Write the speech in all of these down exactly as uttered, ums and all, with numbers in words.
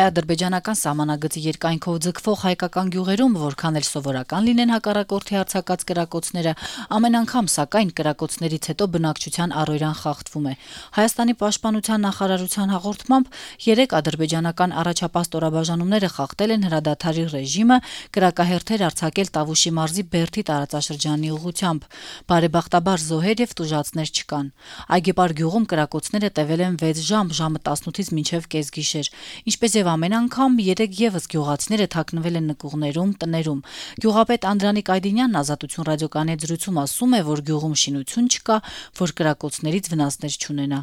Հայ-ադրբեջանական սահմանագծի երկայնքով ձգվող հայկական գյուղերում, որքան էլ սովորական լինեն հակառակորդի արձակած կրակոցները, ամեն անգամ, սակայն, կրակոցներից հետո բնակչության առօրյան խախտվում է։ Հայաստանի պաշտպանության նախարարության հաղորդմամբ երեք ադրբեջանական առաջապահ ստորաբաժանումները խախտել են հրադադարի ռեժիմը, կրակահերթեր արձակել Տավուշի մարզի Բերդի տարածաշրջանի ուղղությամբ։ Բարեբախտաբար զոհեր եւ տուժածներ չկան։ Այգեպար գյուղում կրակոցները տևել են վեց ժամ, ժամը տասնութից մինչև կեսգիշեր։ Ինչպես եւ ամեն անգամ, երեք եւս գյուղացիները թաքնվել են նկուղներում, տներում։ Գյուղապետ Անդրանիկ Այդինյանն Ազատություն ռադիոկայանի հետ զրույցում ասում է, որ գյուղում շինություն չկա, որ կրակոցներից վնասներ չունենա։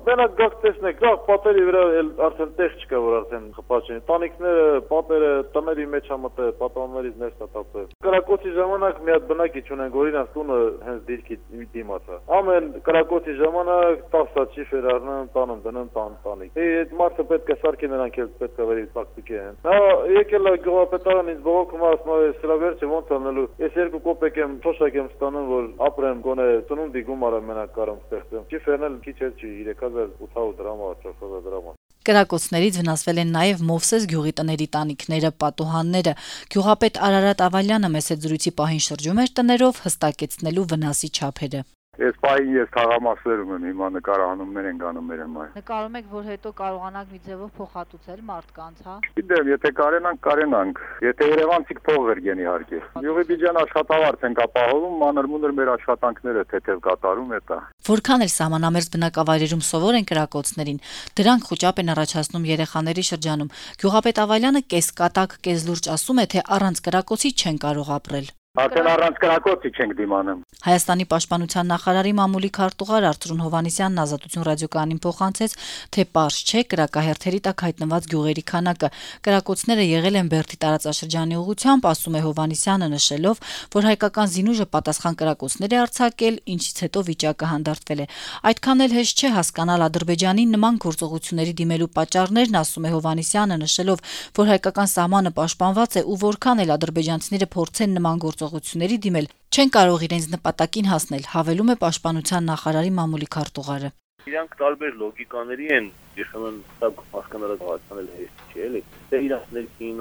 Մենակ գաք տեսնեք, գաք պատերի վրա արդեն տեղ չկա, որ արդեն խփած են։ Տանիքները, պատերը տների մեջ ա մտել, պատաններից ներս ա տապել։ Կրակոցի ժամանակ մի հատ բնակիչ ունենք, որ իրանց տունը հենց դիրքի դիմաց է։ Ամեն կրակոցի ժամանակ տասը չիֆեր առնեն, տանում դնեն տան տանիք։ Այդ մարդը պետք է սարքի նրանք էլ պետք է վերի տակտիկի են։ Նա եկել է գյուղապետարան ինձ բողոքում ասում է, սրա վերջը ոնց անելու։ Ես երկու կոպեկ եմ, թոշակ եմ ստանում, որ ապրեմ, գոնե ծնունդի գումարը մենակ կարամ ստեղծեմ։ Չիֆերն էլ քիչ էլ չի, երեք հազար ութ հարյուր դրամ, չորս հազար դրամ։ Կրակոցներից վնասվել են նաև Մովսես գյուղի տների տանիքները, պատուհանները։ Գյուղապետ Արարատ Ավալյանը մեծ զրույցի պահին շրջում էր տներով, հստակեցնելու վնասի չափերը։ Ես պահին ես թաղամասերում եմ, հիմա նկարահանումներ են գանում մեր համար։ Նկարում եք, որ հետո կարողանանք մի ձևով փոխհատուցել մարդկանց, հա։ Գիտեմ, եթե կարենանք, կարենանք։ Եթե երևանցիք փող վերգեն իհարկե։ Յուղի բիջան աշխատավարձ ենք ապահովում, մանր-մունր մեր աշխատանքները թեթև կատարում է դա։ Որքան էլ սահմանամերձ բնակավայրերում սովոր են կրակոցներին, դրանք խոճապ են առաջացնում երեխաների շրջանում։ Գյուղապետ Ավալյանը կեսկատակ, կեսլուրջ ասում է, թե առանց կրակոցի չեն կարող ապրել։ Արդեն առանց կրակոցի չենք դիմանում։ Հայաստանի պաշտպանության նախարարի մամուլի քարտուղար Արծրուն Հովհաննիսյանն Ազատություն ռադիոկայանին փոխանցեց, թե պարզ չէ կրակահերթերի տակ հայտնված գյուղերի քանակը։ Կրակոցները եղել են Բերդի տարածաշրջանի ուղղությամբ, ասում է Հովհաննիսյանը, նշելով, որ հայկական զինուժը պատասխան կրակոցներ է արձակել, ինչից հետո վիճակը հանդարտվել է։ Այդքան էլ հեշտ չէ հասկանալ Ադրբեջանի նման գործողությունների դիմելու պատճառներն, ասում է Հովհաննիսյանը, նշելով, որ հայկական սահմանը պաշտպանված է ու որքան էլ ադրբեջանցիները փորձեն նման գործողությունների դիմել, չեն կարող իրենց նպատակին հասնել, հավելում է պաշտպանության նախարարի մամուլի քարտուղարը։ Իրանք տարբեր լոգիկաների են, երբեմն սա հասկանալը հասկանալ հեշտ չէ, էլի։ Թե իրանք ներքին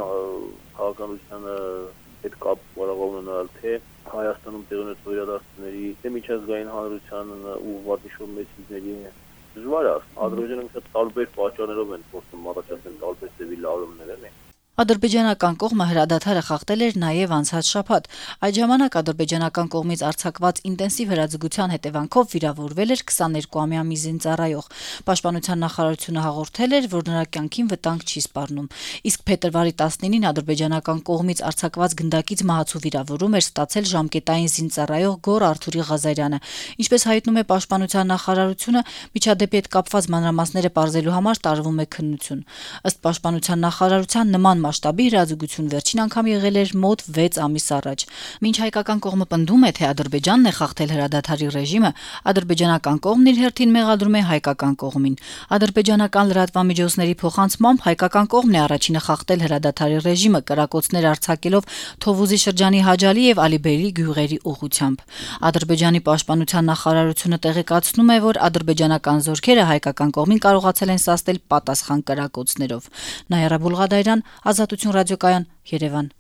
քաղաքականությանը հետ կապ կարող ունենալ, թե Հայաստանում տեղի ունեցող իրադարձությունների, թե միջազգային հանրությանն ու վատիշող մեծիների դժվար է։ Ադրբեջանը տարբեր պատճառներով են փորձում առաջացնել տարբեր ձևի լարումներ, էլի։ Ադրբեջանական կողմը հրադադարը խախտել էր նաև անցած շաբաթ։ Այդ ժամանակ ադրբեջանական կողմից արձակված ինտենսիվ հրաձգության հետևանքով վիրավորվել էր քսաներկուամյա մի զինծառայող։ Պաշտպանության նախարարությունը հաղորդել էր, որ նրա կյանքին վտանգ չի սպառնում։ Իսկ փետրվարի տասնինին ադրբեջանական կողմից արձակված գնդակից մահացու վիրավորում էր ստացել ժամկետային զինծառայող Գոր Արթուրի Ղազարյանը։ Ինչպես հայտնում է պաշտպանության նախարարությունը, միջադեպի հետ կապված մանրամասները պարզելու համար տարվում է քննություն։ Ըստ պաշտպանության նախարարության նման մասշտաբի հրաձգություն վերջին անգամ եղել էր մոտ վեց ամիս առաջ։ Մինչ հայկական կողմը պնդում է, թե Ադրբեջանն է խախտել հրադադարի ռեժիմը, ադրբեջանական կողմն իր հերթին մեղադրում է հայկական կողմին։ Ադրբեջանական լրատվամիջոցների փոխանցմամբ հայկական կողմն է առաջինը խախտել հրադադարի ռեժիմը, կրակոցներ արձակելով Թովուզի շրջանի Հաջալի եւ Ալիբեյլի գյուղերի ուղղությամբ։ Ադրբեջանի պաշտպանության նախարարությունը տեղեկացնում է, որ ադրբեջանական զորքերը հայկական կողմին կարողացել են սաստել պատասխան կրակոցներով։ Նայրա Բուլղադայրյան, Ազատություն ռադիոկայան, Երևան։